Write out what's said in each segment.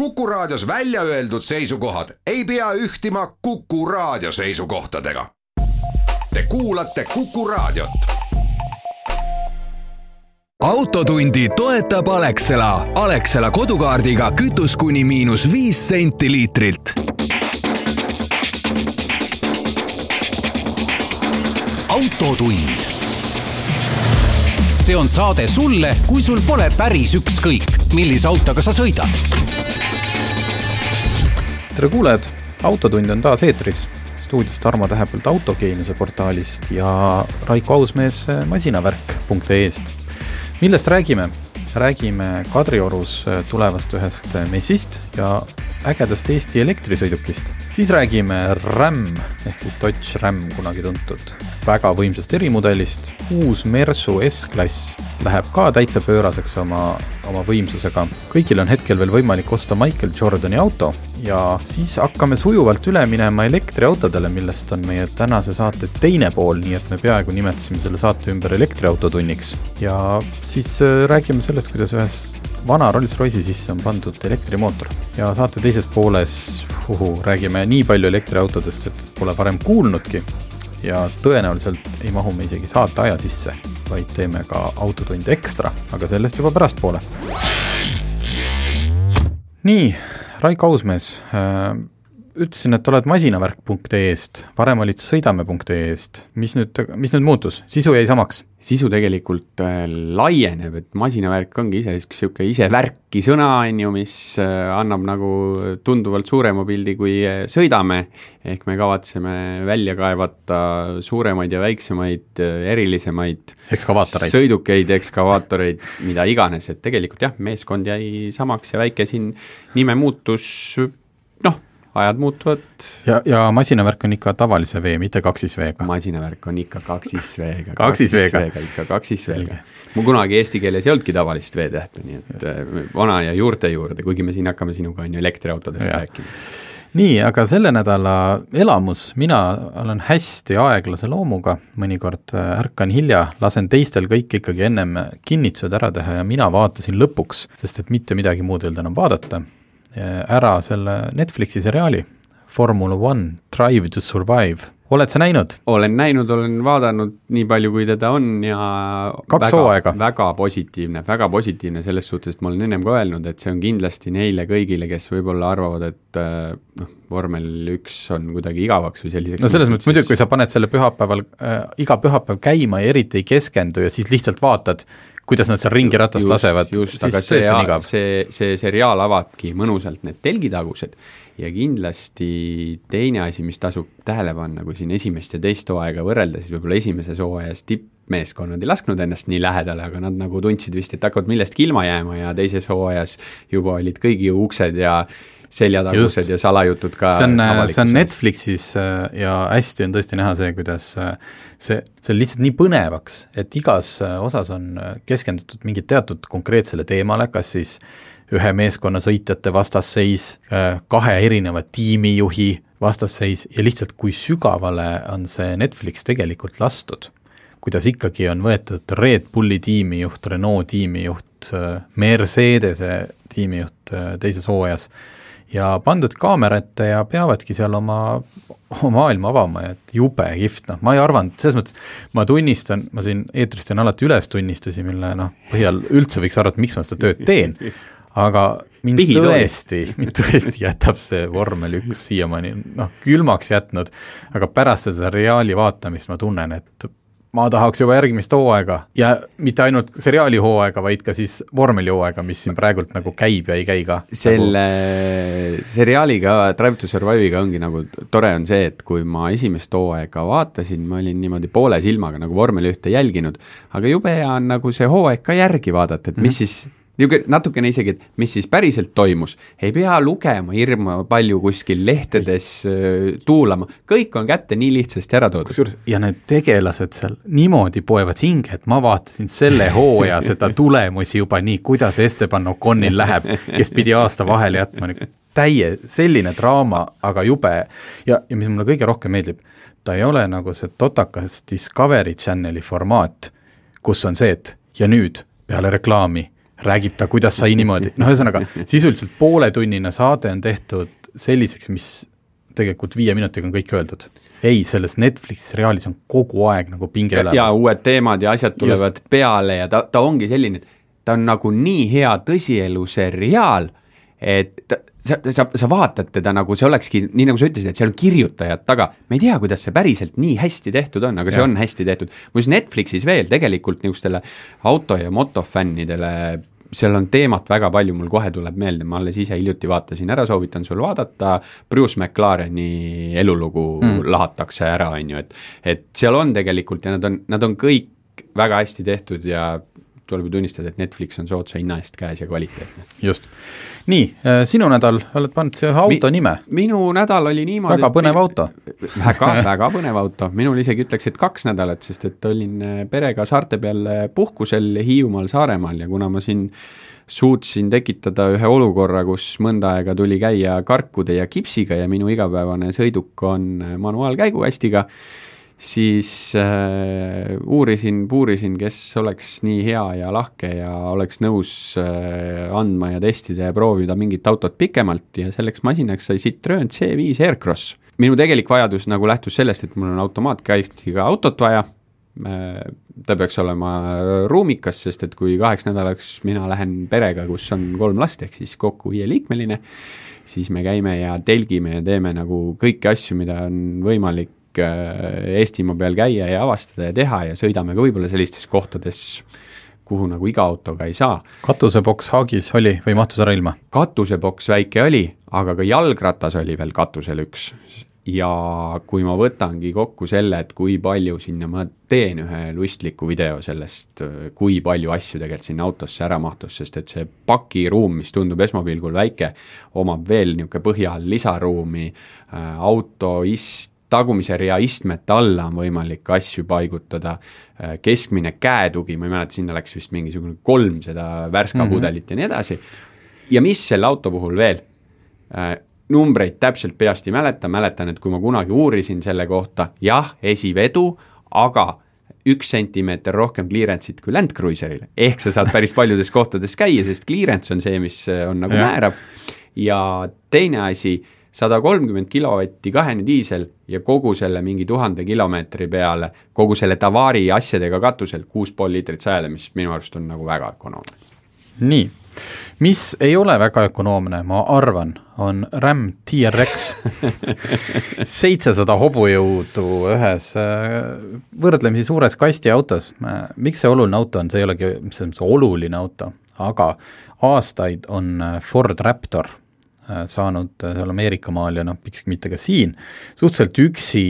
Kuku Raadios välja öeldud seisukohad ei pea ühtima Kuku Raadio seisukohtadega. Te kuulate Kuku Raadiot. Autotundi toetab Alexela. Alexela kodukaardiga kütus kuni -5 senti liitrilt. Autotund. See on saade sulle, kui sul pole päris ükskõik, millise autoga sa sõidad. Tere kuulejad, Autotund on taas eetris. Stuudis Tarmo Tähepõld Autogeeniuse portaalist ja Raiko Ausmees masinaverk.ee-st. Millest räägime? Räägime Kadriorus tulevast ühest messist ja ägedast Eesti elektrisõidukist. Siis räägime RAM ehk siis Dodge RAM kunagi tuntud. Väga võimsast erimudelist. Uus Mersu S-klass läheb ka täitsa pööraseks oma võimsusega. Kõigil on hetkel veel võimalik osta Michael Jordani auto ja siis hakkame sujuvalt üle minema elektriautodele, millest on meie tänase saate teine pool, nii et me peaaegu nimetasime selle saate ümber elektriautotunniks. Ja siis räägime sellest, kuidas ühes vana Rolls-Royce'i sisse on pandud elektrimootor. Ja saate teises pooles räägime nii palju elektriautodest, et pole varem kuulnudki. Ja tõenäoliselt ei mahu me isegi saate aja sisse, vaid teeme ka Autotund ekstra, aga sellest juba pärast poole. Nii, Raiko Ausmees, ütlesin, et oled masinaverk.ee-st, varem olid sõidame.ee-st. Mis nüüd muutus? Sisu jäi samaks? Sisu tegelikult laieneb, et masinavärk ongi ise värki sõna, mis annab nagu tunduvalt suurema pildi kui sõidame, ehk me kavatseme välja kaevata suuremaid ja väiksemaid, erilisemaid sõidukeid, ekskavaatoreid, mida iganes, et tegelikult jah, meeskond jäi samaks ja väike siin nime muutus, ajad muutuvad. Ja masinavärk on ikka tavalise vee, mitte kaksisveega. Masinavärk on ikka kaksisveega. Ikka kaksisveega. Mu kunagi eesti keeles ei olnudki tavalist veetähte, nii et vana ja juurte juurde, kuigi me siin hakkame sinuga elektriautodest rääkima. Nii, aga selle nädala elamus, mina olen hästi aeglase loomuga, mõnikord ärkan hilja, lasen teistel kõik ikkagi ennem kinnitused ära teha ja mina vaatasin lõpuks, sest et mitte midagi muud ei olnud enam vaadata, ära selle Netflixi seriaali Formula 1 Drive to Survive. Oled sa näinud? Olen näinud, olen vaadanud nii palju, kui teda on ja väga positiivne selles suhtes, et ma olen ennem ka öelnud, et see on kindlasti neile kõigile, kes võib-olla arvavad, et vormel 1 on kuidagi igavaks või selliseks. No selles mõttes muidugi, kui sa paned selle pühapäeval, iga pühapäev käima ja eriti ei keskendu ja siis lihtsalt vaatad, kuidas nad seal ringi ratast lasevad, aga see seriaal avabki mõnusalt need telgitagused ja kindlasti teine asi, mis tasub tähele panna, kui siin esimest ja teist hooaega võrrelda, siis võib-olla esimeses hooajas tippmeeskonnad ei lasknud ennast nii lähedale, aga nad nagu tundsid vist, et hakkavad millestki ilma jääma ja teises hooajas juba olid kõigi uksed ja seljatagused ja salajutud ka. See on Netflixis ja hästi on tõesti näha see, kuidas see lihtsalt nii põnevaks, et igas osas on keskendutud mingit teatud konkreetsele teemale, kas siis ühe meeskonna sõitjate vastasseis, 2 erineva tiimijuhi vastasseis ja lihtsalt kui sügavale on see Netflix tegelikult lastud. Kuidas ikkagi on võetud Red Bulli tiimijuht, Renault tiimijuht, Mercedese tiimijuht teises hooajas ja pandud kaamerate ja peavadki seal oma maailma avama, et jube kihvt. Ma ei arvanud, selles mõttes ma tunnistan, ma siin eetrist on alati üles tunnistusi, mille põhjal üldse võiks arvata, miks ma seda tööd teen, aga mind tõesti jätab see vormel 1 siiamaani külmaks jätnud, aga pärast seda seriaali vaatamist ma tunnen, et ma tahaks juba järgmist hooaega ja mitte ainult seriaali hooaega, vaid ka siis vormeli hooaega, mis siin praegult nagu käib ja ei käi ka. Selle seriaaliga, Drive to Survive'iga ongi nagu tore on see, et kui ma esimest hooaega vaatasin, ma olin niimoodi poole silmaga nagu vormeli 1 jälginud, aga jube hea on nagu see hooaeg ka järgi vaadata, et mis siis natukene isegi, et mis siis päriselt toimus. Ei pea lugema hirma palju kuskil lehtedes tuulama. Kõik on kätte nii lihtsasti ära toodud. Ja need tegelased seal niimoodi poevad hinge, et ma vaatasin selle hooaja seda tulemusi juba nii, kuidas Esteban Oconil läheb, kes pidi aasta vahele jätma. Selline draama, aga jube. Ja mis mulle kõige rohkem meeldib, ta ei ole nagu see totakas Discovery Channeli formaat, kus on see, et ja nüüd peale reklaami räägib ta, kuidas sai niimoodi, ühesõnaga, sisuliselt pooletunnine saade on tehtud selliseks, mis tegelikult 5 minutiga on kõik öeldud. Ei, selles Netflix seriaalis on kogu aeg nagu pinge üleval. Ja uued teemad ja asjad tulevad peale ja ta ongi selline, ta on nagu nii hea tõsielu seriaal, et sa vaatad teda nagu see olekski, nii nagu sa ütlesid, et seal on kirjutajad taga, me ei tea, kuidas see päriselt nii hästi tehtud on, aga see on hästi tehtud. Muis Netflixis veel tegelikult niisugustele auto- ja motofännidele, seal on teemat väga palju, mul kohe tuleb meelde, ma alles ise hiljuti vaatasin ära, soovitan sul vaadata, Bruce McLareni elulugu lahatakse ära, on ju, et seal on tegelikult ja nad on kõik väga hästi tehtud ja tuleb ju tunnistada, et Netflix on sootsa hinna eest käes ja kvaliteetne. Just. Nii, sinu nädal, oled pannud see auto nime? Minu nädal oli niimoodi... Väga põnev auto. Väga põnev auto. Minul isegi ütleks, et 2 nädalat, sest et olin perega saarte peal puhkusel Hiiumaal, Saaremaal ja kuna ma siin suutsin tekitada ühe olukorra, kus mõnda aega tuli käia karkude ja kipsiga ja minu igapäevane sõiduk on manuaalkäigukastiga, siis puurisin, kes oleks nii hea ja lahke ja oleks nõus andma ja testida ja proovida mingit autot pikemalt ja selleks masinaks sai Citroen C5 Aircross. Minu tegelik vajadus nagu lähtus sellest, et mul on automaatkäistiga autot vaja, ta peaks olema ruumikas, sest et kui 8 nädalaks mina lähen perega, kus on 3 last, ehk siis kokku 5-liikmeline, siis me käime ja telgime ja teeme nagu kõiki asju, mida on võimalik Eestimaa peal käia ja avastada ja teha ja sõidame ka võib-olla sellistes kohtades, kuhu nagu iga autoga ei saa. Katuseboks haagis oli või mahtus ära ilma? Katuseboks väike oli, aga ka jalgratas oli veel katusel üks. Ja kui ma võtangi kokku selle, et kui palju sinna, ma teen ühe lustliku video sellest, kui palju asju tegelikult sinna autosse ära mahtus, sest et see pakiruum, mis tundub esmapilgul väike, omab veel niisugune põhjal lisaruumi, auto tagumise rea istmete alla on võimalik asju paigutada, keskmine käetugi, ma ei mäleta, sinna läks vist mingisugune 3 seda värskapudelit ja nii edasi. Ja mis selle auto puhul veel? Numbreid täpselt peast ei mäletan, et kui ma kunagi uurisin selle kohta, jah, esivedu, aga 1 sentimeeter rohkem clearance'it kui Land Cruiseril. Ehk sa saad päris paljudes kohtades käia, sest clearance on see, mis on nagu määrav. Ja teine asi, 130 kilovatti kahene diisel ja kogu selle mingi 1000 kilomeetri peale, kogu selle Tavari asjadega katusel 6,5 liitrit sajale, mis minu arust on nagu väga ökonoomne. Nii, mis ei ole väga ökonoomne, ma arvan, on Ram TRX 700 hobujõudu ühes võrdlemisi suures kasti autos. Miks see oluline auto on? See ei olegi see oluline auto, aga aastaid on Ford Raptor saanud seal Ameerika maal ja miks mitte ka siin, suhteliselt üksi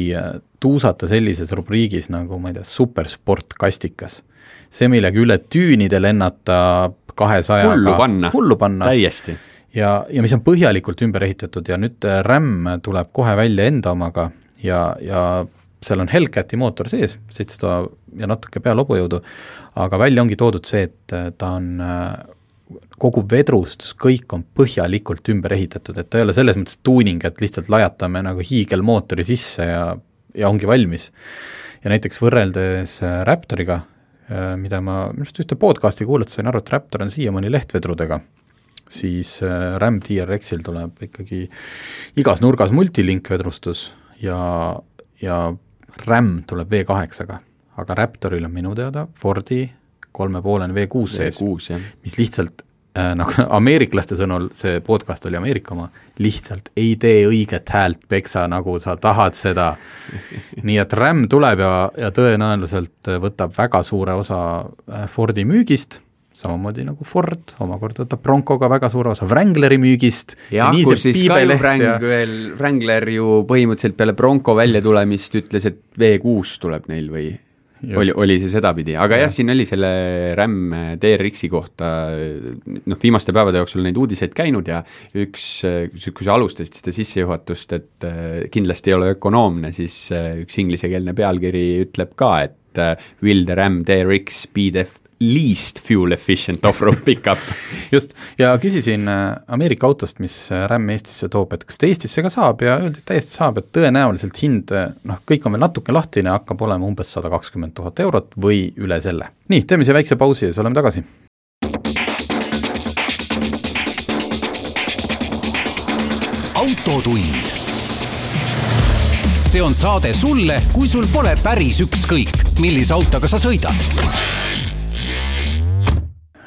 tuusata sellises rubriigis nagu, ma ei tea, supersport kastikas. See millegi üle tüünide lennata 200 hullu panna. Täiesti. Ja mis on põhjalikult ümber ehitatud ja nüüd RAM tuleb kohe välja enda omaga ja seal on Hellcati mootor sees, 700 ja natuke peal hobujõudu, aga välja ongi toodud see, et ta on kogu vedrustus, kõik on põhjalikult ümber ehitatud, et ta ei ole selles mõttes tuuning, et lihtsalt lajatame nagu hiigelmootori sisse ja ongi valmis. Ja näiteks võrreldes Raptoriga, mida ma just ühte podcasti kuulata sain aru, et Raptor on siiamaani lehtvedrudega, siis Ram TRX-il tuleb ikkagi igas nurgas multilink vedrustus ja Ram tuleb V8-ga, aga Raptoril on minu teada Fordi 3,5 V6 sees, mis lihtsalt, nagu ameeriklaste sõnul, see podcast oli Ameerika oma, lihtsalt ei tee õiget häält peksa, nagu sa tahad seda. Nii et RAM tuleb ja tõenäoliselt võtab väga suure osa Fordi müügist, samamoodi nagu Ford, omakorda võtab Broncoga väga suure osa Wrangleri müügist. Ja kus siis ka ju Wrangler ju põhimõtteliselt peale Bronco välja tulemist ütles, et V6 tuleb neil või... Oli see sedapidi, aga jah, siin oli selle RAM TRX-i kohta viimaste päevade jooksul neid uudiseid käinud ja kui sa alustasid seda sissejuhatust, et kindlasti ei ole ökonoomne, siis üks inglisekeelne pealkiri ütleb ka, et will the RAM TRX be the least fuel efficient off-road pickup. Just, ja küsisin Ameerika autost, mis RAM Eestisse toob, et kas ta Eestisse ka saab ja öeldi, et täiesti saab, et tõenäoliselt hind, kõik on veel natuke lahtine, hakkab olema umbes 120 000 eurot või üle selle. Nii, teeme see väikse pausi ja siis oleme tagasi. autotund. See on saade sulle, kui sul pole päris ükskõik, millise autoga sa sõidad.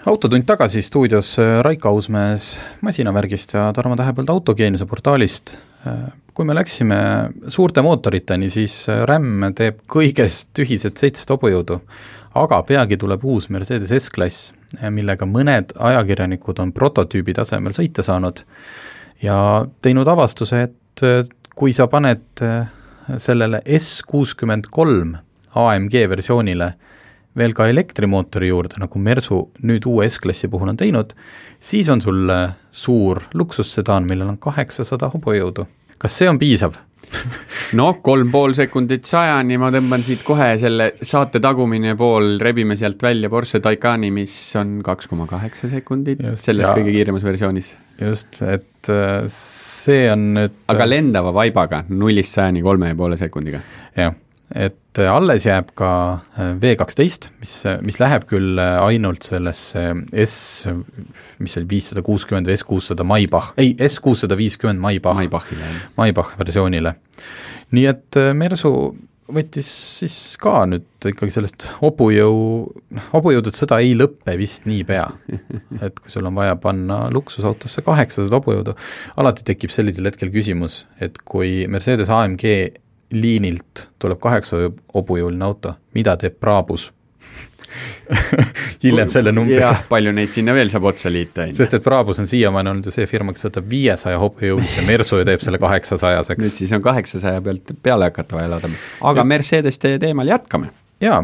Autotund tagasi stuudios Raiko Ausmees Masinavärgist ja Tarmo Tähepõld Autogeeniuse portaalist. Kui me läksime suurte mootoriteni, siis RAM teeb kõigest ühised 7 hobujõudu, aga peagi tuleb uus Mercedes S-klass, millega mõned ajakirjanikud on prototüübi tasemel sõita saanud ja teinud avastuse, et kui sa paned sellele S63 AMG versioonile veel ka elektrimootori juurde, nagu Mersu nüüd uue S-klassi puhul on teinud, siis on sul suur luksussedaan, millel on 800 hobujõudu. Kas see on piisav? No 3,5 sekundit 100, ma tõmban siit kohe selle saate tagumine pool, rebime sealt välja Porsche Taycani, mis on 2,8 sekundit just, selles kõige kiiremas versioonis. Just, et see on nüüd... Aga lendava vaibaga 0-100 3,5 sekundiga. Jah, et alles jääb ka V12, mis läheb küll ainult sellesse mis oli 560 või S600 Maybach, ei, S650 Maybach versioonile. Nii et Mersu võttis siis ka nüüd ikkagi sellest hobujõudud sõda ei lõppe vist nii pea. Et kui sul on vaja panna luksusautosse 800 hobujõudu, alati tekib sellisel hetkel küsimus, et kui Mercedes AMG liinilt tuleb 8 hobujõuline auto, mida teeb Brabus? Hiljem selle numbriga. Jah, palju neid sinna veel saab otsa liita. Sest et Brabus on siiamaani olnud ju see firma, kes võtab 500 hobujõulise Mersu ja teeb selle 800-seks. Nüüd siis on 800 pealt peale hakata vaja elada. Aga Mercedes teemal jätkame. Jaa,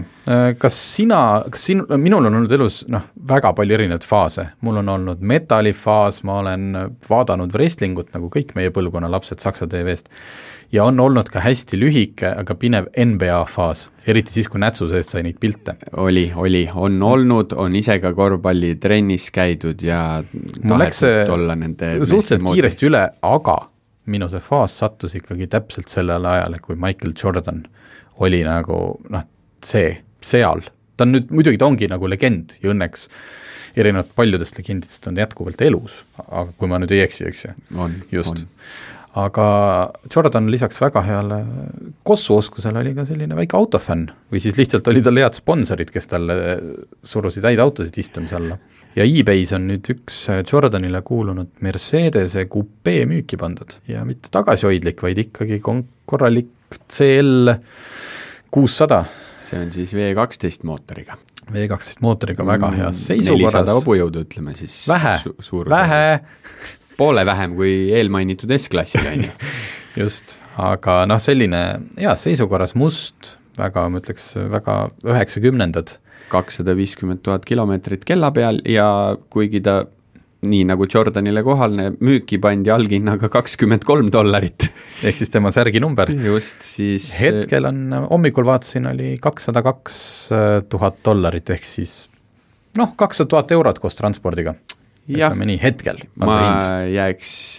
minul on olnud elus väga palju erinevaid faase. Mul on olnud metallifaas, ma olen vaadanud wrestlingut nagu kõik meie põlvkonna lapsed Saksa TV-st ja on olnud ka hästi lühike, aga pinev NBA faas, eriti siis, kui nätsu seest sai neid pilte. On olnud, on ise ka korvpalli trennis käidud ja tahetud olla nende suhteliselt kiiresti üle, aga minu see faas sattus ikkagi täpselt sellele ajale, kui Michael Jordan oli nagu seal. Ta on nüüd, muidugi ta ongi nagu legend ja õnneks erinevalt paljudest legendidest on jätkuvalt elus, aga kui ma nüüd ei eksi, eks ju. Just. Aga Jordan lisaks väga heale kossuoskusele oli ka selline väike autofänn või siis lihtsalt oli tal head sponsorid, kes talle surusid häid autosid istumise alla. Ja eBay's on nüüd üks Jordanile kuulunud Mercedese Coupé müüki pandud ja mitte tagasihoidlik, vaid ikkagi korralik CL 600. See on siis V12 mootoriga. V12 mootoriga väga heas seisukorras. 400 hobujõudu, ütleme siis. Vähe. Poole vähem kui eelmainitud S-klassiga. Just, aga selline heas seisukorras must, väga, ma ütleks, väga 90-ndad. 250 000 kilomeetrit kella peal ja kuigi ta nii nagu Jordanile kohalne müüki pandi alginnaga $23. Ehk siis tema särgi number. Just, siis... Hetkel on, hommikul vaatasin, oli $202,000 ehk siis 200 000 eurot koos transpordiga. Ütleme nii, hetkel. Ma jääks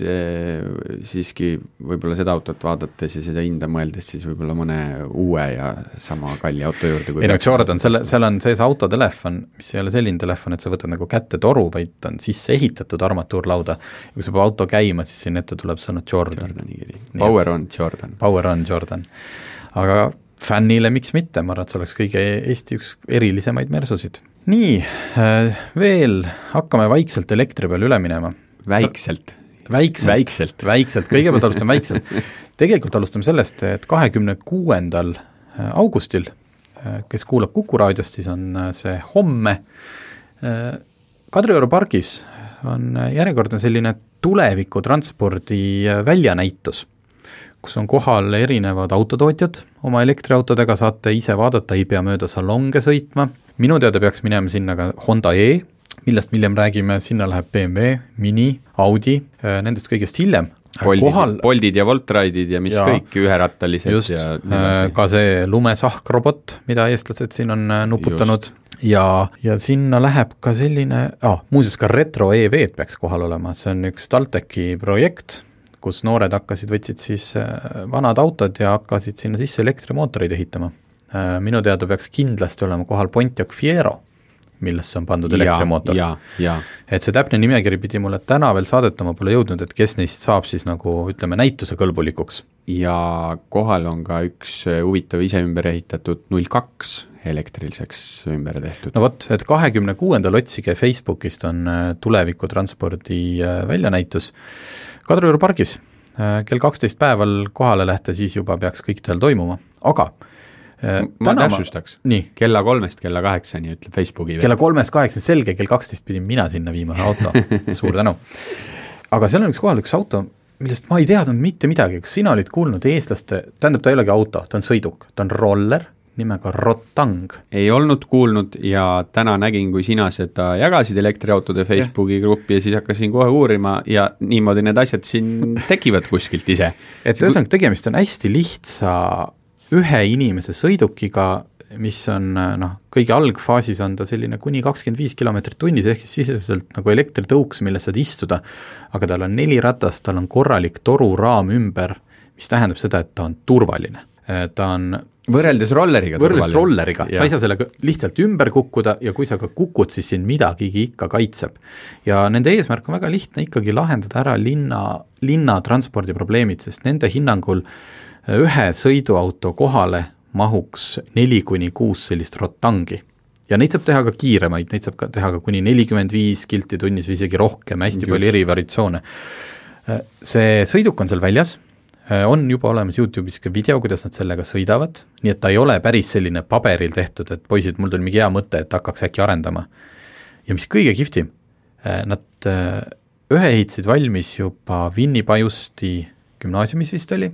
siiski võib-olla seda autot vaadates ja seda hinda mõeldes siis võib-olla mõne uue ja sama kalli auto juurde. Ei Jordan, seal on sees autotelefon, mis ei ole selline telefon, et sa võtad nagu kätte toru, vaid on sisse ehitatud armatuurlauda. Ja kui sa peab auto käima, siis siin ette tuleb sõna Jordan. Power on Jordan. Power on Jordan. Aga fännile miks mitte, ma arvan, et see oleks kõige Eesti üks erilisemaid Mersusid. Nii, veel hakkame vaikselt elektri peal üle minema. Väikselt, kõigepealt alustame väikselt. Tegelikult alustame sellest, et 26. augustil, kes kuulab Kuku raadiost, siis on see homme. Kadrioru pargis on järjekordne selline tulevikutranspordi väljanäitus, kus on kohal erinevad autotootjad, oma elektriautodega saate ise vaadata, ei pea mööda salonge sõitma. Minu teada peaks minema sinna ka Honda E, millest hiljem räägime, sinna läheb BMW, Mini, Audi, nendest kõigest hiljem. Boltid ja Voltraidid ja mis kõik üherattalised. Just, ka see lumesahkrobot, mida eestlased siin on nuputanud. Ja sinna läheb ka selline, muuseas ka Retro EV peaks kohal olema, see on üks Talteki projekt, kus noored võtsid siis vanad autod ja hakkasid sinna sisse elektrimootoreid ehitama. Minu teada peaks kindlasti olema kohal Pontiac Fiero, millesse on pandud elektrimootor. Ja. Et see täpne nimekiri pidi mulle täna veel saadetama, pole jõudnud, et kes neist saab siis nagu, ütleme, näituse kõlbulikuks. Ja kohal on ka üks huvitav ise ümber ehitatud 02 elektriliseks ümber tehtud. No vot, et 26. otsige Facebookist on tulevikutranspordi väljanäitus Kadrioru pargis. Kell 12 päeval kohale lähte, siis juba peaks kõik teil toimuma, aga ma täpsustaks, kella 3-st kella 8-ni ütleb Facebooki. Kella 3-8, selge, kell 12 pidin mina sinna viima auto, suur tänu. Aga seal on üks auto, millest ma ei teadnud mitte midagi, kas sina olid kuulnud eestlaste, tähendab ta ei olegi auto, ta on sõiduk, ta on roller, nimega Rotang. Ei olnud kuulnud ja täna nägin, kui sina seda jagasid elektriautode Facebooki gruppi ja siis hakkasin kohe uurima ja niimoodi need asjad siin tekivad kuskilt ise. Et ühesõnaga tegemist on hästi lihtsa ühe inimese sõidukiga, mis on kõige algfaasis on ta selline kuni 25 kilomeetrit tunnis, ehk siis sisuliselt nagu elektritõuks, milles saad istuda, aga tal on 4 ratast, tal on korralik toruraam ümber, mis tähendab seda, et ta on turvaline. Ta on võrreldes rolleriga, sa ei saa sellega lihtsalt ümber kukkuda ja kui sa ka kukud, siis sind midagigi ikka kaitseb. Ja nende eesmärk on väga lihtne ikkagi lahendada ära linna transpordiprobleemid, sest nende hinnangul ühe sõiduauto kohale mahuks 4-6 sellist Rotangi. Ja neid saab teha ka kiiremaid, neid saab ka teha ka kuni 45 kilti tunnis või isegi rohkem, hästi palju eri variatsioone. See sõiduk on seal väljas, on juba olemas YouTube'is ka video, kuidas nad sellega sõidavad, nii et ta ei ole päris selline paberil tehtud, et poisid, mul tuli mingi hea mõte, et hakkaks äkki arendama. Ja mis kõige kihvtim, nad ühe ehitasid valmis juba Vinni-Pajusti gümnaasiumis vist oli.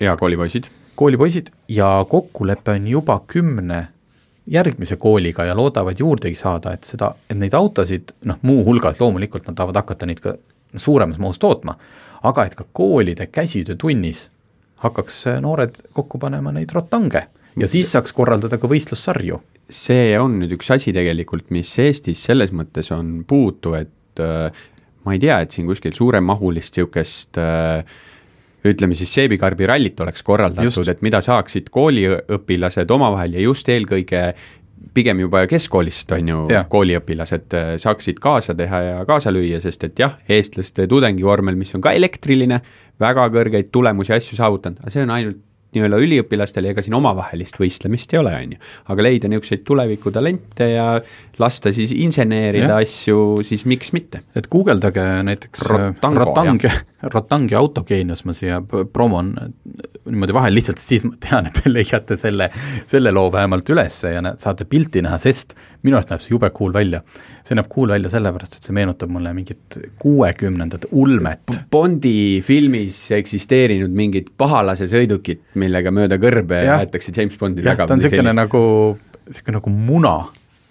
Ja koolipoisid ja kokkulepe on juba 10 järgmise kooliga ja loodavad juurdegi saada, et neid autosid, muu hulgas loomulikult nad tahavad hakata neid ka suuremas mahus tootma, aga et ka koolide käsitöö tunnis hakkaks noored kokku panema neid Rotange ja siis saaks korraldada ka võistlussarju. See on nüüd üks asi tegelikult, mis Eestis selles mõttes on puutu, et ma ei tea, et siin kuskil suuremahulist siukest ütleme siis seebikarbi rallit oleks korraldatud, et mida saaksid kooliõpilased omavahel ja just eelkõige pigem juba keskkoolist on ju kooliõpilased saaksid kaasa teha ja kaasa lüüa, sest et jah, eestlaste tudengivormel, mis on ka elektriline, väga kõrgeid tulemusi asju saavutanud, aga see on ainult nii-öelda üliõpilastele, ega siin omavahelist võistlemist ei ole, on ju. Aga leida niisuguseid tulevikutalente ja lasta siis inseneerida asju, siis miks mitte? Et guugeldage näiteks Rotangi autogeenius, ma siia promon niimoodi vahel lihtsalt, siis ma tean, et te leiate selle loo vähemalt üles ja saate pilti näha, sest minu arust näeb see jube cool välja. See näeb cool välja sellepärast, et see meenutab mulle mingit 60-ndate ulmet. Bondi filmis eksisteerinud mingid pahalase sõidukit, millega mööda kõrbe aetakse James Bondi taga. Ta on selline nagu muna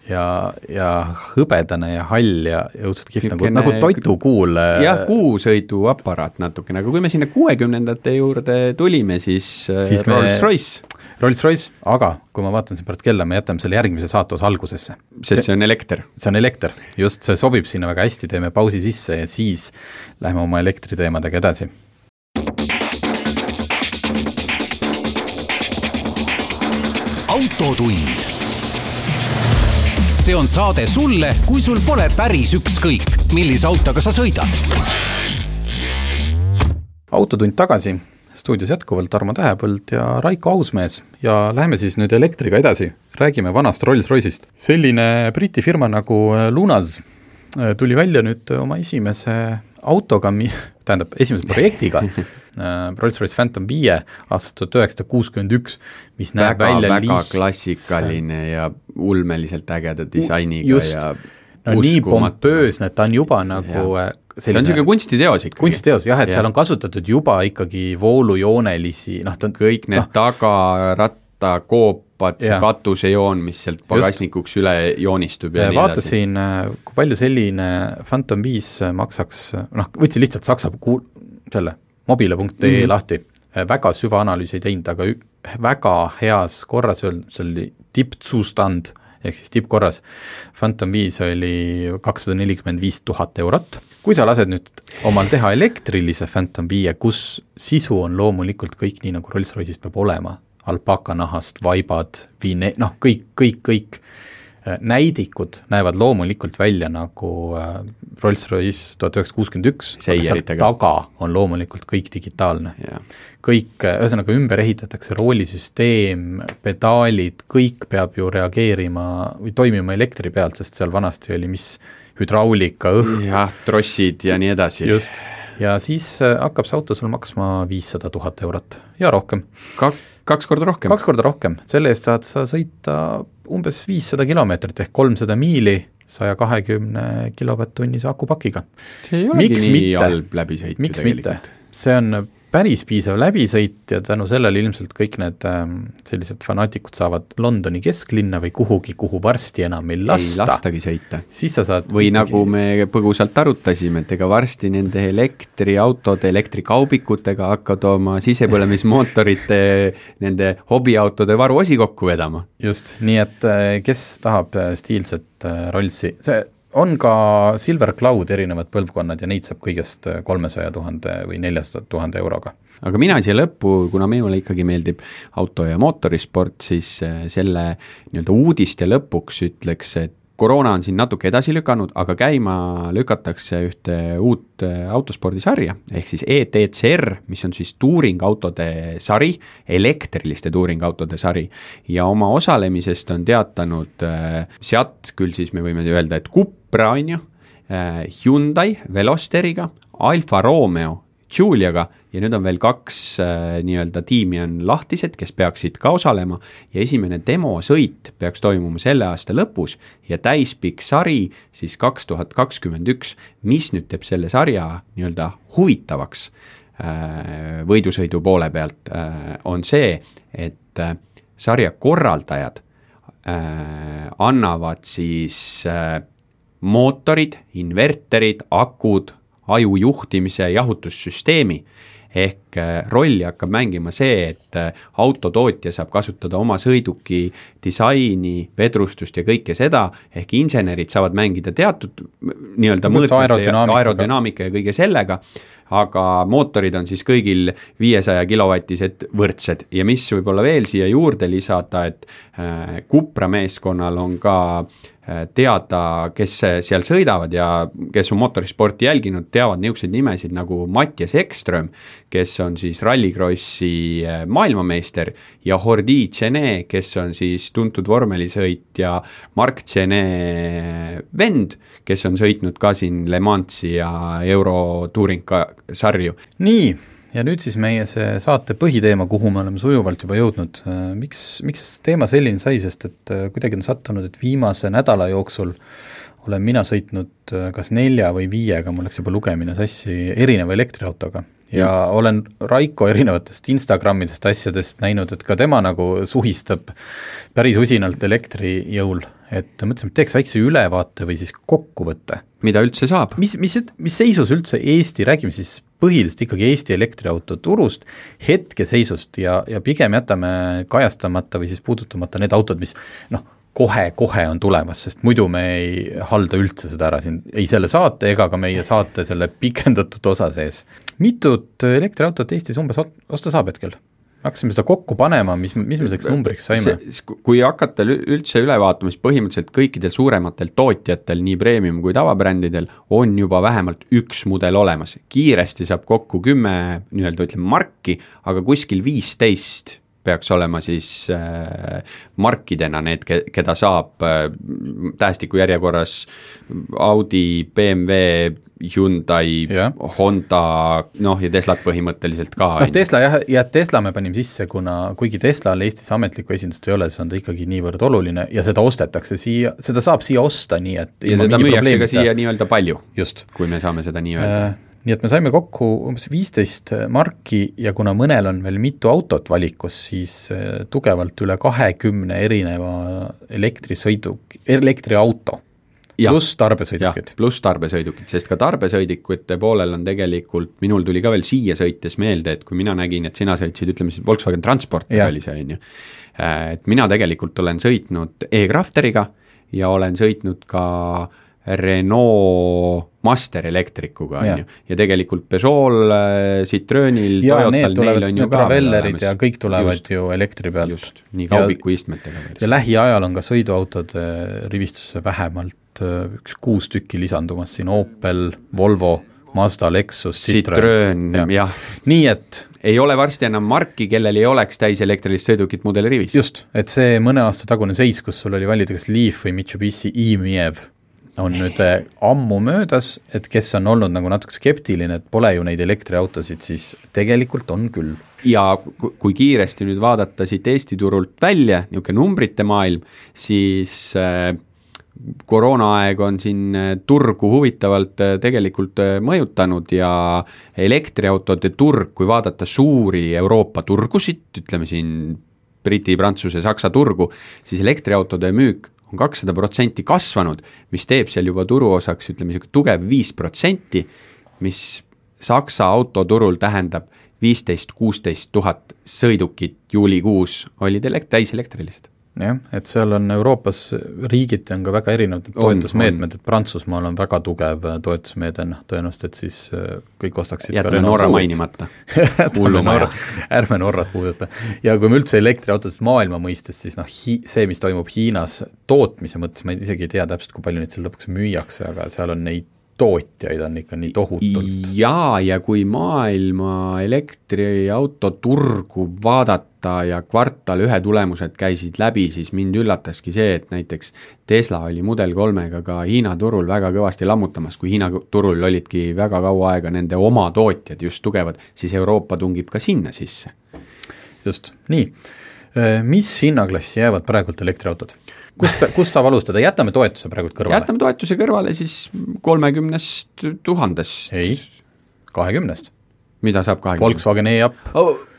ja hõbedane ja hall ja õudselt kihvt, nagu toitukuul. Jah, kuusõidu aparaat natukene, aga kui me sinna 60-ndate juurde tulime, siis Rolls-Royce, aga kui ma vaatan siin pärast kella, me jätame selle järgmise saatuse algusesse. Sest see on elekter. See on elekter, just, see sobib sinna väga hästi, teeme pausi sisse ja siis lähme oma elektriteemadega edasi. Autotund. See on saade sulle, kui sul pole päris ükskõik, millise autoga sa sõidad. Autotund tagasi. Stuudios jätkuvalt Tarmo Tähepõld ja Raiko Ausmees ja läheme siis nüüd elektriga edasi. Räägime vanast Rolls-Royce'ist. Selline Briti firma nagu Lunas tuli välja nüüd oma esimese autoga, esimese projektiga Rolls-Royce Phantom 5 aastast 1961, mis näeb välja väga klassikaline ja ulmeliselt ägeda disainiga ja nii pompöösne, et ta on juba nagu ta on selline kunstiteos ikkagi. Kunstiteos, jah, et seal on kasutatud juba ikkagi voolujoonelisi kõik need tagaratta koopad, see katusejoon, mis sealt pagasnikuks üle joonistub ja vaatasin, kui palju selline Phantom 5 maksaks, võtsin lihtsalt Saksa selle mobile.ee lahti, väga süvaanalüüsi ei teinud, aga väga heas korras, see oli tippzustand, ehk siis tippkorras. Phantom 5 oli 245 000 eurot. Kui sa lased nüüd omal teha elektrilise Phantom 5, kus sisu on loomulikult kõik nii, nagu Rolls-Royce'is peab olema, alpakanahast, vaibad, kõik, näidikud näevad loomulikult välja nagu Rolls-Royce 1961, aga seal taga on loomulikult kõik digitaalne. Kõik, ühesõnaga ümber ehitatakse roolisüsteem, pedaalid, kõik peab ju reageerima või toimima elektri pealt, sest seal vanasti oli mis hüdraulika, õhk. Jah, trossid ja nii edasi. Just, ja siis hakkab see auto sul maksma 500 000 eurot ja rohkem. Kaks korda rohkem? 2 korda rohkem, selle eest saad sa sõita umbes 500 kilomeetrit ehk 300 miili 120 kilovatt-tunnise akupakiga. See ei olegi nii halb läbisõit. Miks mitte? See on päris piisav läbisõit ja tänu sellele ilmselt kõik need sellised fanaatikud saavad Londoni kesklinna või kuhugi, kuhu varsti enam ei lasta. Ei lastagi sõita. Siis sa saad või nagu me põgusalt arutasime, et ega varsti nende elektriautode, elektrikaubikutega hakkad oma sisepõlemismootorite nende hobiautode varuosi kokku vedama. Just, nii et kes tahab stiilset Rollsi, see on ka Silver Cloud erinevad põlvkonnad ja neid saab kõigest 300 000 või 400 000 euroga. Aga mina siia lõppu, kuna minule ikkagi meeldib auto- ja mootorisport, siis selle nii-öelda uudiste lõpuks ütleks, et koroona on siin natuke edasi lükanud, aga käima lükatakse ühte uut autospordisarja, ehk siis ETCR, mis on siis tuuringautode sari, elektriliste tuuringautode sari, ja oma osalemisest on teatanud sealt, küll siis me võime öelda, et Cupra on ju, Hyundai Velosteriga, Alfa Romeo Giuliaga ja nüüd on veel 2 nii-öelda tiimi on lahtised, kes peaksid ka osalema ja esimene demosõit peaks toimuma selle aasta lõpus ja täispikk sari siis 2021, mis nüüd teeb selle sarja nii-öelda huvitavaks võidusõidu poole pealt, on see, et sarja korraldajad annavad siis mootorid, inverterid, akud, ajujuhtimise jahutussüsteemi, ehk rolli hakkab mängima see, et autotootja saab kasutada oma sõiduki disaini, vedrustust ja kõike seda, ehk insenerid saavad mängida teatud nii-öelda aerodünaamika ja kõige sellega, aga mootorid on siis kõigil 500 kilovatised võrdsed ja mis võib-olla veel siia juurde lisada, et Cupra meeskonnal on ka teada, kes seal sõidavad ja kes on mootorisporti jälginud, teavad niisuguseid nimesid nagu Mattias Ekström, kes on siis rallikrossi maailmameister ja Hordi Tšene, kes on siis tuntud vormelisõitja Mark Tšene vend, kes on sõitnud ka siin Le Mansi ja Euro Touring sarju. Nii, ja nüüd siis meie see saate põhiteema, kuhu me oleme sujuvalt juba jõudnud. Miks teema selline sai, sest et kuidagi on sattunud, et viimase nädala jooksul olen mina sõitnud kas 4 või 5, mul läks juba lugemine sassi erineva elektriautoga ja olen Raiko erinevatest Instagramidest asjadest näinud, et ka tema nagu suhistab päris usinalt elektrijõul, et mõtlesime, et teeks väikse ülevaate või siis kokkuvõtte. Mida üldse saab? Mis seisus üldse Eesti, räägime siis põhiliselt ikkagi Eesti elektriauto turust, hetkeseisust ja pigem jätame kajastamata või siis puudutamata need autod, mis kohe on tulemas, sest muidu me ei halda üldse seda ära siin, ei selle saate ega ka meie saate selle pikendatud osa sees. Mitut elektriautot Eestis umbes osta saab hetkel? Hakkasime seda kokku panema, mis me selleks numbriks saime? Kui hakata üldse üle vaatama, siis põhimõtteliselt kõikidel suurematel tootjatel, nii premium kui tavabrändidel, on juba vähemalt 1 mudel olemas. Kiiresti saab kokku 10 nii-öelda marki, aga kuskil 15 peaks olema siis markidena need, keda saab tähestiku järjekorras Audi, BMW, Hyundai, Honda, ja Teslat põhimõtteliselt ka. Tesla ja Tesla me panime sisse, kuigi Teslal Eestis ametlikku esindust ei ole, siis on ta ikkagi niivõrd oluline ja seda ostetakse siia, seda saab siia osta, nii et ja teda müüakse ka siia nii-öelda palju, just. Kui me saame seda nii öelda. Nii et me saime kokku umbes 15 marki ja kuna mõnel on veel mitu autot valikus, siis tugevalt üle 20 erineva elektriauto. Pluss tarbesõidukid. Pluss tarbesõidukid, sest ka tarbesõidikute poolel on tegelikult, minul tuli ka veel siia sõites meelde, et kui mina nägin, et sina sõitsid, ütleme siis Volkswagen Transporti oli see, on ju. Et mina tegelikult olen sõitnud e-Crafteriga ja olen sõitnud ka Renault Master elektrikuga, on ju, ja tegelikult Peugeot'l, Citroenil, Toyotal, neil on ju ka Travellerid ja kõik tulevad ju elektri pealt. Just, nii kaubiku istmetega. Ja lähiajal on ka sõiduautode rivistusse vähemalt 6 tükki lisandumas siin Opel, Volvo, Mazda, Lexus, Citroen, jah. Nii et ei ole varsti enam marki, kellel ei oleks täis elektrilist sõidukit mudeli rivis. Just, et see mõne aasta tagune seis, kus sul oli valida kas Leaf või Mitsubishi e-Miev, on nüüd ammu möödas, et kes on olnud nagu natuke skeptiline, et pole ju neid elektriautosid, siis tegelikult on küll. Ja kui kiiresti nüüd vaadata siit Eesti turult välja, niisugune numbrite maailm, siis koroonaaeg on siin turgu huvitavalt tegelikult mõjutanud ja elektriautode turg, kui vaadata suuri Euroopa turgusid, ütleme siin Briti, Prantsuse, Saksa turgu, siis elektriautode müük on 200% kasvanud, mis teeb seal juba turuosaks, ütleme, tugev 5%, mis Saksa autoturul tähendab 15-16 000 sõidukit juulikuus olid täiselektrilised. Jah, et seal on Euroopas riigiti on ka väga erinevad toetusmeetmed, et Prantsusmaal on väga tugev toetusmeede, tõenäoliselt, et siis kõik ostaksid jätame Norra mainimata. Ärme Norrat puuduta. Ja kui me üldse elektriautodest maailma mõistes, siis see, mis toimub Hiinas tootmise mõttes, ma isegi ei tea täpselt, kui palju neid seal lõpuks müüakse, aga seal on neid tootjaid on ikka nii tohutult. Ja kui maailma elektriauto turgu vaadata ja kvartal 1 tulemused käisid läbi, siis mind üllataski see, et näiteks Tesla oli Model 3-ga ka Hiina turul väga kõvasti lammutamas, kui Hiina turul olidki väga kaua aega nende oma tootjad just tugevad, siis Euroopa tungib ka sinna sisse. Just, nii. Mis hinnaklassi jäävad praegult elektriautod? Kust saab alustada? Jätame toetuse praegult kõrvale. Jätame toetuse kõrvale siis 30 000. Ei, 20. Mida saab 20? Volkswagen e-up.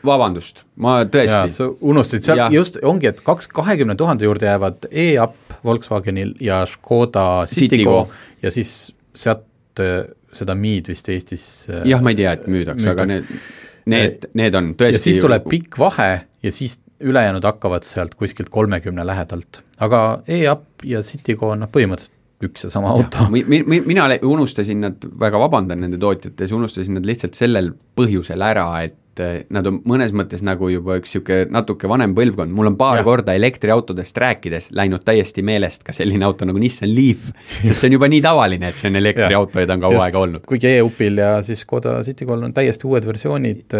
Vabandust, ma tõesti. Ja, unustasid seal, just ongi, et 20 000 juurde jäävad e-up Volkswagenil ja Škoda Citigo ja siis sealt seda miid vist Eestis jah, ma ei tea, et müüdaks. Aga need on tõesti. Ja siis tuleb pikk vahe ja siis ülejäänud hakkavad sealt kuskilt 30 lähedalt. Aga e-up ja Citigo on põhimõtteliselt üks ja sama auto. Mina unustasin nad, väga vabandan nende tootjates, unustasin nad lihtsalt sellel põhjusel ära, et nad on mõnes mõttes nagu juba üks natuke vanem põlvkond. Mul on paar korda elektriautodest rääkides läinud täiesti meelest ka selline auto nagu Nissan Leaf, sest see on juba nii tavaline, et see on elektriauto ja ta on kaua aega olnud. Kuigi e-upil ja siis Škoda Citigo on täiesti uued versioonid,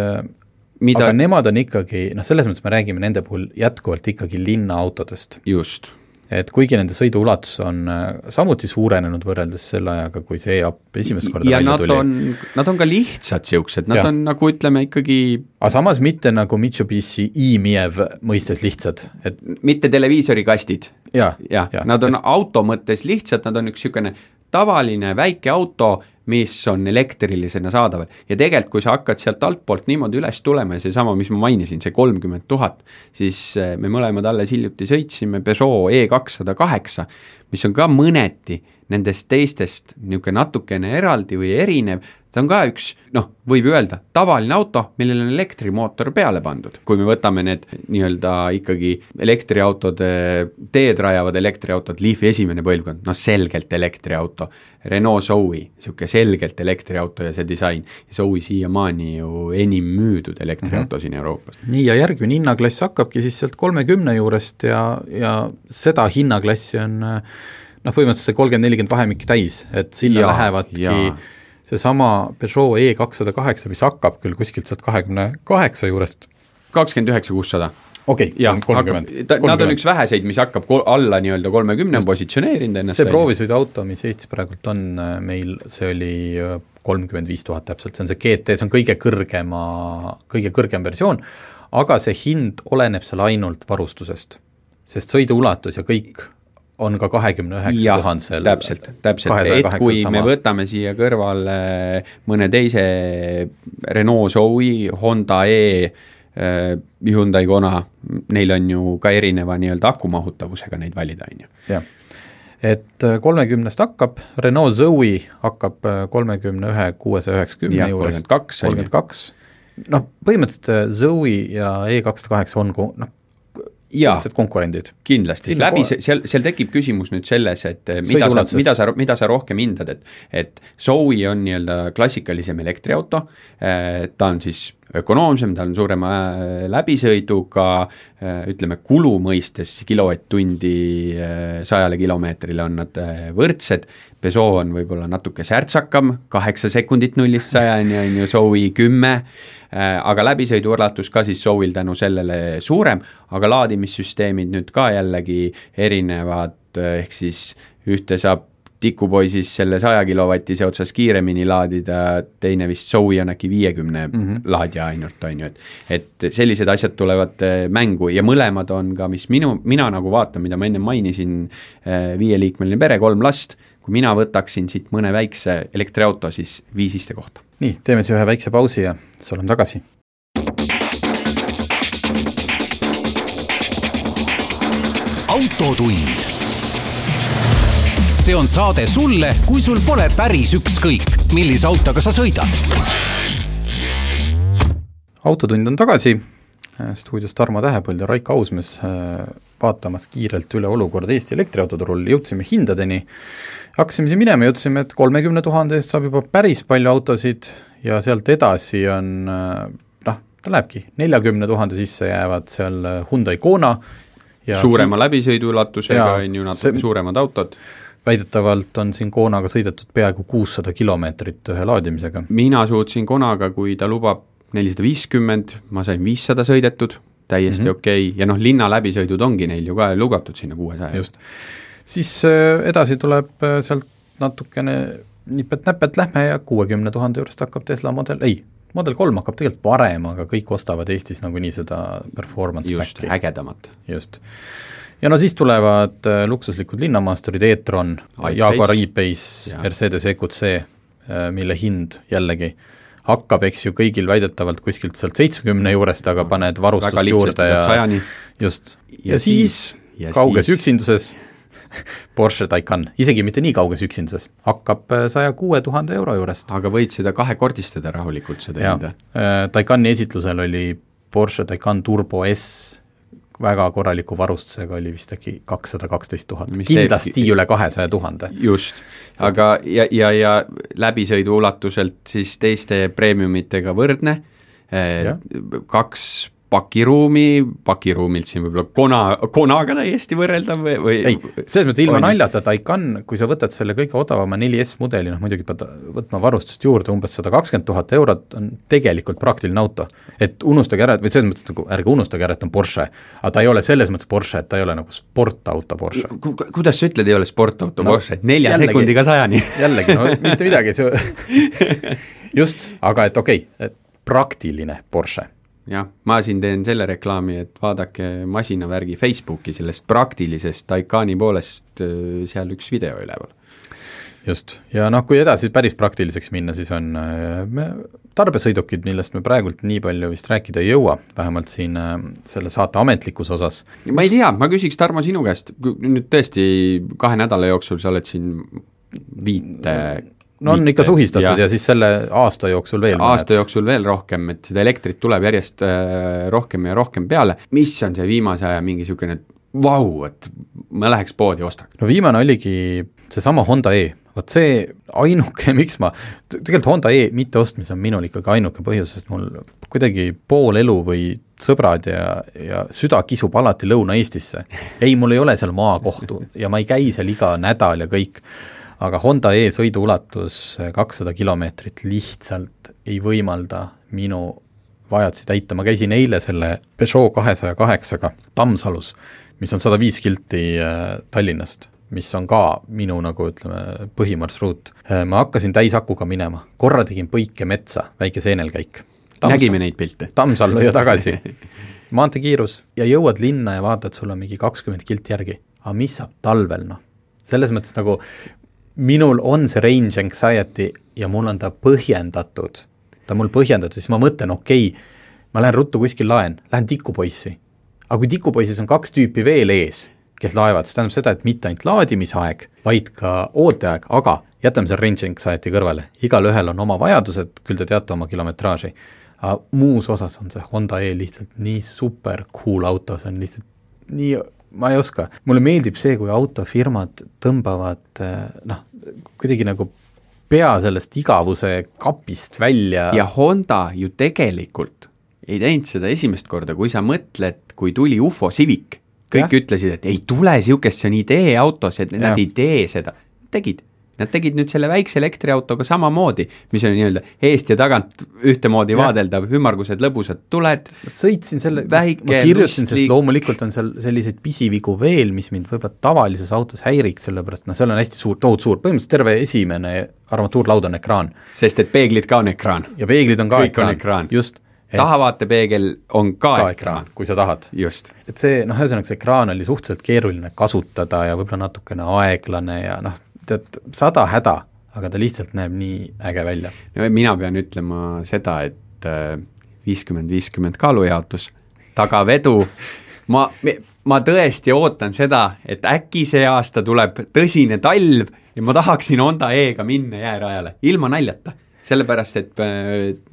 aga nemad on ikkagi, selles mõttes me räägime nende puhul jätkuvalt ikkagi linnaautodest. Just. Et kuigi nende sõiduulatus on samuti suurenenud võrreldes selle ajaga, kui see e-up esimest korda ja välja tuli. Nad on ka lihtsad siuksed, nad on nagu ütleme ikkagi aga samas mitte nagu Mitsubishi e-Miev mõistes lihtsad. Et mitte televiisorikastid. Ja. Nad on auto mõttes lihtsad, nad on üks siukene tavaline väike auto, mis on elektrilisena saadaval. Ja tegelikult, kui sa hakkad sealt altpoolt niimoodi üles tulema ja see sama, mis ma mainisin, see 30 000, siis me mõlemad alles hiljuti sõitsime Peugeot E208, mis on ka mõneti nendest teistest niisugune natukene eraldi või erinev. See on ka üks, võib öelda, tavaline auto, millel on elektrimootor peale pandud. Kui me võtame need nii-öelda ikkagi elektriautode, teed rajavad elektriautod, Leafi esimene põlvkond, selgelt elektriauto, Renault Zoe, niisugune selgelt elektriauto ja see disain. Ja Zoe siiamaani ju enim müüdud elektriauto siin Euroopas. Nii, ja järgmine hinnaklass hakkabki siis sealt 30 juurest ja seda hinnaklassi on põhimõtteliselt see 30-40 vahemikki täis, et sinna lähevadki see sama Peugeot E208, mis hakkab küll kuskilt sealt 28 juurest. 29 600. Okei, 30. Nad on üks väheseid, mis hakkab alla nii-öelda 30 positsioneerinud ennast. See proovisõiduauto, mis Eestis praegult on meil, see oli 35 000 täpselt, see on see GT, see on kõige kõrgem versioon, aga see hind oleneb seal ainult varustusest, sest sõiduulatus ja kõik on ka 29 000 täpselt, et kui me võtame siia kõrvale mõne teise Renault Zoe, Honda E, Hyundai Kona, neil on ju ka erineva nii-öelda akumahutavusega neid valida, on ju. Jah, et 30 hakkab, Renault Zoe hakkab 31 690 juures, 32. Põhimõtteliselt Zoe ja E208 on lihtsalt konkurendid. Kindlasti, seal tekib küsimus nüüd selles, et mida sa rohkem hindad, et Zoe on nii-öelda klassikalisem elektriauto, ta on siis ökonoomsem, ta on suurema läbisõiduga, ütleme kulu mõistes kilovatt-tundi 100 kilomeetrile on nad võrdsed, Peugeot on võib-olla natuke särtsakam, 8 sekundit 0-100 on ju Zoe 10, aga läbisõiduulatus ka siis Zoe'l tänu sellele suurem, aga laadimissüsteemid nüüd ka jällegi erinevad, ehk siis ühte saab tikupoisis selle 100 kilovatise otsas kiiremini laadida, teine vist Zoe on äkki 50 laadija ainult, on ju, et sellised asjad tulevad mängu ja mõlemad on ka, mis mina nagu vaatan, mida ma enne mainisin, 5-liikmeline pere, 3 last, kui mina võtaksin siit mõne väikse elektriauto, siis 5 istekohta. Nii, teeme siis ühe väikse pausi ja siis oleme tagasi. Autotund. See on saade sulle, kui sul pole päris ükskõik, millise autoga sa sõidad. Autotund on tagasi, stuudios Tarmo Tähepõld ja Raiko Ausmees vaatamas kiirelt üle olukord Eesti elektriautoturul, jõudsime hindadeni, hakkasime siin minema, jõudsime, et 30 000 eest saab juba päris palju autosid ja sealt edasi on, ta lähebki, 40 000 sisse jäävad seal Hyundai Kona. Suurema läbisõiduulatusega on ju natuke suuremad autod. Väidetavalt on siin Konaga sõidetud peaaegu 600 kilomeetrit ühe laadimisega. Mina suutsin Konaga, kui ta lubab 450, ma sain 500 sõidetud, täiesti okei. Ja linna läbisõidud ongi neil ju ka lugatud sinna 600. Just. Siis edasi tuleb sealt natukene nipet-näpet lähme ja 60 000 juurest hakkab Tesla Model 3 hakkab tegelikult parem, aga kõik ostavad Eestis nagu nii seda performance just, backi. Ägedamat. Just. Ja siis tulevad luksuslikud linnamaasturid e-tron, Jaguar E-Pace, Mercedes EQC, mille hind jällegi hakkab, eks ju, kõigil väidetavalt kuskilt sealt 70 juurest, aga paned varustust juurde ja siis kauges üksinduses Porsche Taycan, isegi mitte nii kauges üksinduses, hakkab 106 000 euro juurest. Aga võid seda kahekordistada rahulikult seda hinda. Taycani esitlusel oli Porsche Taycan Turbo S väga korraliku varustusega, oli vist äkki 212 000, kindlasti üle 200 000. Just, aga ja läbisõidu ulatuselt siis teiste premiumitega võrdne, 2 pakiruumilt siin võib-olla Konaga täiesti võrreldav või? Ei, selles mõttes ilma naljata Taycan, kui sa võtad selle kõige odavama 4S mudeli, muidugi pead võtma varustust juurde, umbes 120 000 eurot on tegelikult praktiline auto. Et unustage ära, või selles mõttes nagu ärge unustage ära, et on Porsche, aga ta ei ole selles mõttes Porsche, et ta ei ole nagu sportauto Porsche. Kuidas sa ütled, ei ole sportauto Porsche? 4 sekundiga 100-ni. Jällegi, mitte midagi. Just, aga et okei, et praktiline Porsche. Jah, ma siin teen selle reklaami, et vaadake masinavärgi Facebooki sellest praktilisest Taycani poolest seal üks video üleval. Just, ja kui edasi päris praktiliseks minna, siis on tarbesõidukid, millest me praegult nii palju vist rääkida ei jõua, vähemalt siin selle saate ametlikus osas. Ma ei tea, ma küsiks Tarmo sinu käest, nüüd tõesti 2 nädala jooksul sa oled siin 5 on ikka suhistatud ja siis selle aasta jooksul veel. Aasta jooksul veel rohkem, et seda elektrit tuleb järjest rohkem ja rohkem peale. Mis on see viimase aja mingi siukene et ma läheks poodi ostaks? No viimane oligi seesama Honda E. Vot see ainuke, miks tegelikult Honda E mitte ostmise on minul ikkagi ainuke põhjus, sest mul kuidagi pool elu või sõbrad ja süda kisub alati Lõuna-Eestisse. Ei, mul ei ole seal maakohtu ja ma ei käi seal iga nädal ja kõik. Aga Honda E sõiduulatus 200 kilomeetrit lihtsalt ei võimalda minu vajadusi täita. Ma käisin eile selle Peugeot 208-ga Tammsalus, mis on 105 kilti Tallinnast, mis on ka minu nagu ütleme põhimarsruut. Ma hakkasin täisakuga minema, korra tegin põike metsa, väike seenelkäik. Nägime neid pilte. Tammsal ja tagasi. Maantekiirus ja jõuad linna ja vaatad, sul on mingi 20 kilti järgi. Aga mis saab talvel? Selles mõttes nagu minul on see range anxiety ja mul on ta põhjendatud. Ta mul põhjendatud, siis ma mõtlen, ma lähen ruttu kuskil laen, lähen tikupoissi. Aga kui tikupoisis on 2 tüüpi veel ees, kes laevad, see tähendab seda, et mitte ainult laadimisaeg, vaid ka ooteaeg, aga jätame selle range anxiety kõrvale. Igal ühel on oma vajadused, küll te teate oma kilometraaži. Aga muus osas on see Honda E lihtsalt nii super cool auto, see on lihtsalt nii ma ei oska. Mulle meeldib see, kui autofirmad tõmbavad kuidagi nagu pea sellest igavuse kapist välja. Ja Honda ju tegelikult ei teinud seda esimest korda, kui sa mõtled, kui tuli UFO Civic, kõik ütlesid, et ei tule siukest, see on idee-autos, et nad ei tee seda. Nad tegid nüüd selle väikse elektriautoga samamoodi, mis on nii-öelda eest ja tagant ühtemoodi vaadeldav, ümmargused lõbusad tuled. Sõitsin selle, väike, ma kirjutasin, sest loomulikult on seal selliseid pisivigu veel, mis mind võib-olla tavalises autos häiriks, sellepärast seal on hästi suur, tohut suur, põhimõtteliselt terve esimene armatuurlaud on ekraan. Sest et peeglid ka on ekraan. Ja peeglid on ka ekraan. Just. Tahavaatepeegel on ka ekraan, kui sa tahad. Just. Et see, ühesõnaga see ekraan oli suhteliselt keeruline kasutada ja võib-olla natukene aeglane ja tead, 100 häda, aga ta lihtsalt näeb nii äge välja. No, mina pean ütlema seda, et 50-50 kaalujaotus, tagavedu, ma tõesti ootan seda, et äkki see aasta tuleb tõsine talv ja ma tahaksin Honda E-ga minna jäärajale, ilma naljata. Sellepärast, et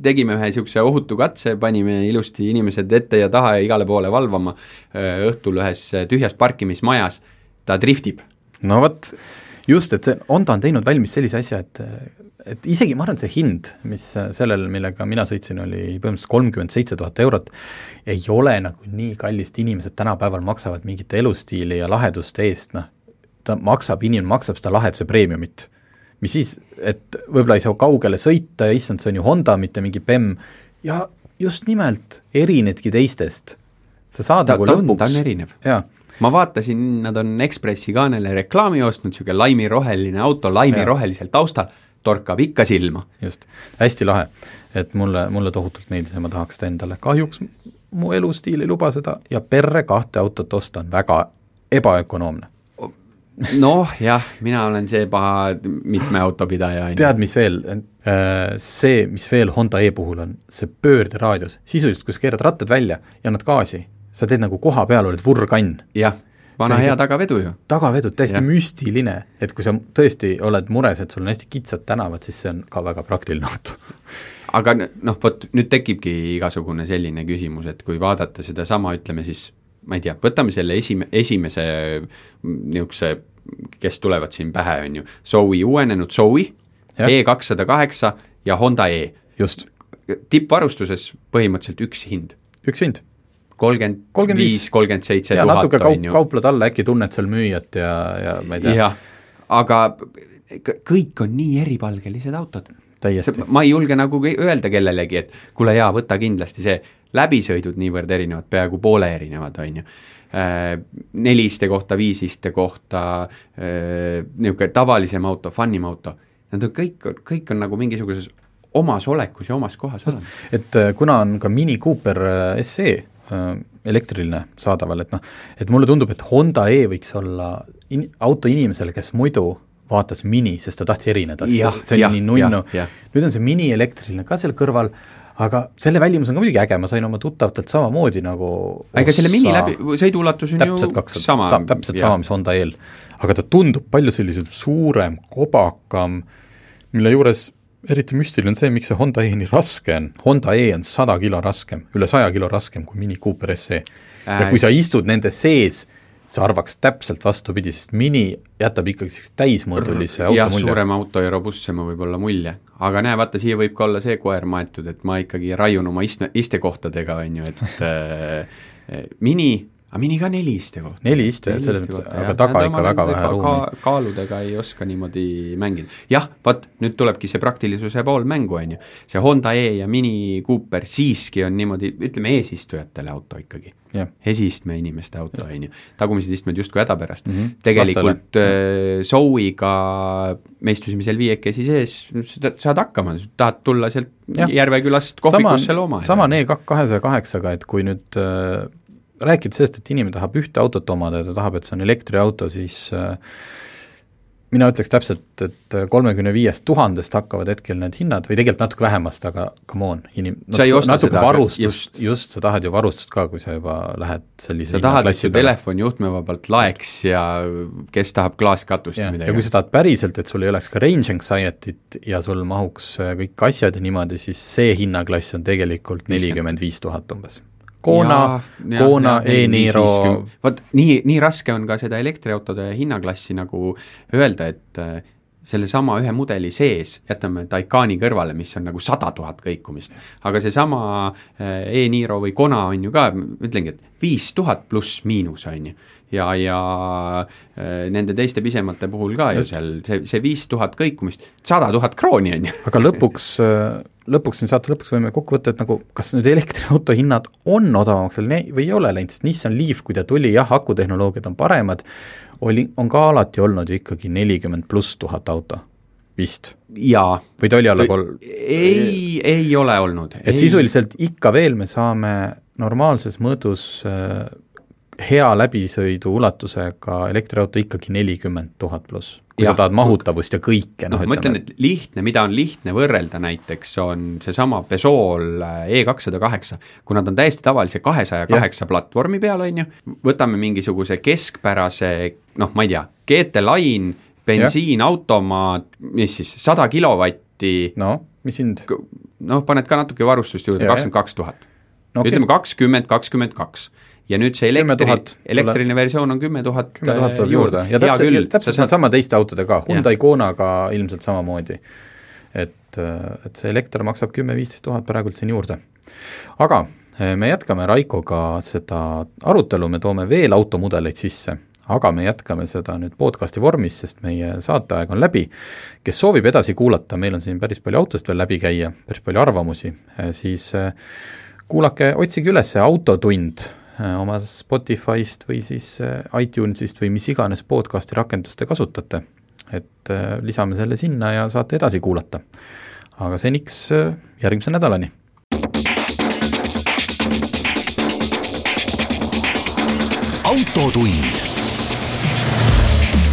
tegime ühe niisuguse ohutu katse, panime ilusti inimesed ette ja taha ja igale poole valvama õhtul ühes tühjas parkimismajas, ta driftib. No võt, just, et see Honda on teinud valmis sellise asja, et isegi ma arvan, see hind, mis sellel, millega mina sõitsin, oli põhimõtteliselt 37 000 eurot, ei ole nagu nii kallist, inimesed tänapäeval maksavad mingite elustiili ja laheduste eest, inimene maksab seda laheduse preemiumit, mis siis, et võib-olla ei saa kaugele sõita ja issand, see on ju Honda, mitte mingi BEM, ja just nimelt erinedki teistest. Sa saad nagu lõpuks. Ta on erinev. Jaa. Ma vaatasin, nad on Ekspressi kaanele reklaami ostnud, siuke laimiroheline auto, laimirohelisel taustal, torkab ikka silma. Just, hästi lahe, et mulle tohutult meeldis ja ma tahaks seda endale. Kahjuks mu elustiil ei luba seda ja perre 2 autot osta on väga ebaökonoomne. Noh, jah, mina olen see paha mitme autopidaja. Tead, mis veel? See, mis veel Honda E puhul on, see pöörderaadios. Sisuliselt, kui sa keerad rattad välja ja annad gaasi, sa teed nagu koha peal, oled vurrkann. Jah, vana hea tagavedu ju. Tagavedu, täiesti müstiline, et kui sa tõesti oled mures, et sul on hästi kitsad tänavad, siis see on ka väga praktiline auto. Aga võt, nüüd tekibki igasugune selline küsimus, et kui vaadata seda sama, ütleme siis, ma ei tea, võtame selle esimese niisuguse, kes tulevad siin pähe, on ju, Zoe, uuenenud Zoe, E208 ja Honda E. Just. Tippvarustuses põhimõtteliselt üks hind. Üks hind. 35-37 ja 000 natuke kauplad alla, äkki tunned seal müüjat ja ma ei tea. Jah, aga kõik on nii eripalgelised autod. Täiesti. Ma ei julge nagu öelda kellelegi, et kuule jaa, võta kindlasti see läbisõidud niivõrd erinevad, peaaegu poole erinevad, on ju. 4 iste kohta, 5 iste kohta, niisugune tavalisem auto, funnim auto, nad on kõik on nagu mingisuguses omas olekus ja omas kohas. Et kuna on ka Mini Cooper SE elektriline saadaval, et mulle tundub, et Honda E võiks olla auto inimesele, kes muidu vaatas Mini, sest ta tahtis erineda, see oli nii nunnu. Nüüd on see Mini elektriline ka seal kõrval, aga selle väljumus on ka muidugi äge, ma sain oma tuttavatelt samamoodi nagu aga selle Mini läbi, sõiduulatus on ju sama. Täpselt sama, mis Honda E-l. Aga ta tundub palju sellised suurem, kobakam, mille juures eriti müstiline on see, miks see Honda E nii raske on. Honda E on 100 kilo raskem, üle 100 kilo raskem kui Mini Cooper SE. Ja kui sa istud nende sees, sa arvaks täpselt vastupidi, sest Mini jätab ikkagi täismõõdulise auto mulje. Suurem auto ja robustsema võib olla mulje. Aga näe, vaata, siia võib ka olla see koer maetud, et ma ikkagi raiun oma istekohtadega, on ju, et Mini ka 4 iste kohta. 4 iste, aga taga ikka väga vähe ruumi. Kaaludega ei oska niimoodi mängida. Jah, vaat, nüüd tulebki see praktilisuse pool mängu, on ju. See Honda E ja Mini Cooper siiski on niimoodi, ütleme, eesistujatele auto ikkagi. Esistme inimeste auto, on ju. Tagumised istmed justkui häda pärast. Tegelikult Zoe'ga me istusime seal 5 sees, saad hakkama, tahad tulla sealt Järvekülast kohvikusse looma. Sama E208-ga, et kui nüüd rääkida sellest, et inimene tahab ühte autot omada ja ta tahab, et see on elektriauto, siis mina ütleks täpselt, et 35 000 hakkavad hetkel need hinnad või tegelikult natuke vähemast, aga come on, natuke varustust, just sa tahad ju varustust ka, kui sa juba lähed sellise sa tahad, et su telefon juhtmevabalt laeks ja kes tahab klaaskatust ja midagi. Ja kui sa tahad päriselt, et sul ei oleks ka range anxiety't ja sul mahuks kõik asjad ja niimoodi, siis see hinnaklass on tegelikult 45 000 umbes. Kona, e-Niro. Vaat nii raske on ka seda elektriautode hinnaklassi nagu öelda, et selle sama ühe mudeli sees jätame Taycani kõrvale, mis on nagu 100 000 kõikumist. Aga see sama e-Niro või Kona on ju ka, ütlengi, et 5000 pluss miinus on ju. Ja nende teiste pisemate puhul ka ju seal see 5000 kõikumist, 100 000 krooni on ju. Aga lõpuks saate lõpuks võime kokku võtta, et nagu, kas nüüd elektriauto hinnad on odavamaks või ei ole läinud, sest Nissan Leaf, kui ta tuli, jah, akutehnoloogiad on paremad, on ka alati olnud ju ikkagi 40 pluss 1000 auto, vist. Jaa. Või ta oli alla ei ole olnud. Et sisuliselt ikka veel me saame normaalses mõõdus hea läbisõidu ulatusega elektriauto ikkagi 40 000 pluss, kui sa tahad mahutavust ja kõike. Ma ütlen, et lihtne, mida on lihtne võrrelda näiteks, on see sama Peugeot E208, kui nad on täiesti tavalise 208 platvormi peal, on ju, võtame mingisuguse keskpärase, ma ei tea, GT Line, bensiin, automaat, mis siis, 100 kilovatti. Mis hind? Paned ka natuke varustust juurde, 22 000. Ütleme 22. Ja nüüd see elektriline versioon on 10 000 juurde. Ja täpselt sama teiste autodega, Hyundai Konaga ilmselt samamoodi. Et see elekter maksab 10-15 000 praegult siin juurde. Aga me jätkame Raikoga seda arutelu, me toome veel automudeleid sisse, aga me jätkame seda nüüd podcasti vormis, sest meie saateaeg on läbi. Kes soovib edasi kuulata, meil on siin päris palju autost veel läbi käia, päris palju arvamusi, siis kuulake, otsige üles Autotund oma Spotify'st või siis iTunes'ist või mis iganes podcasti rakenduste kasutate, et lisame selle sinna ja saate edasi kuulata. Aga seniks järgmise nädalani. Autotund.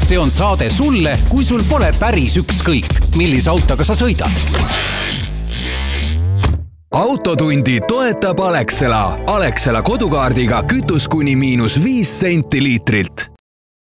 See on saade sulle, kui sul pole päris ükskõik, millise autoga sa sõidad. Autotundi toetab Alexela. Alexela kodukaardiga kütus kuni -5 senti liitrilt.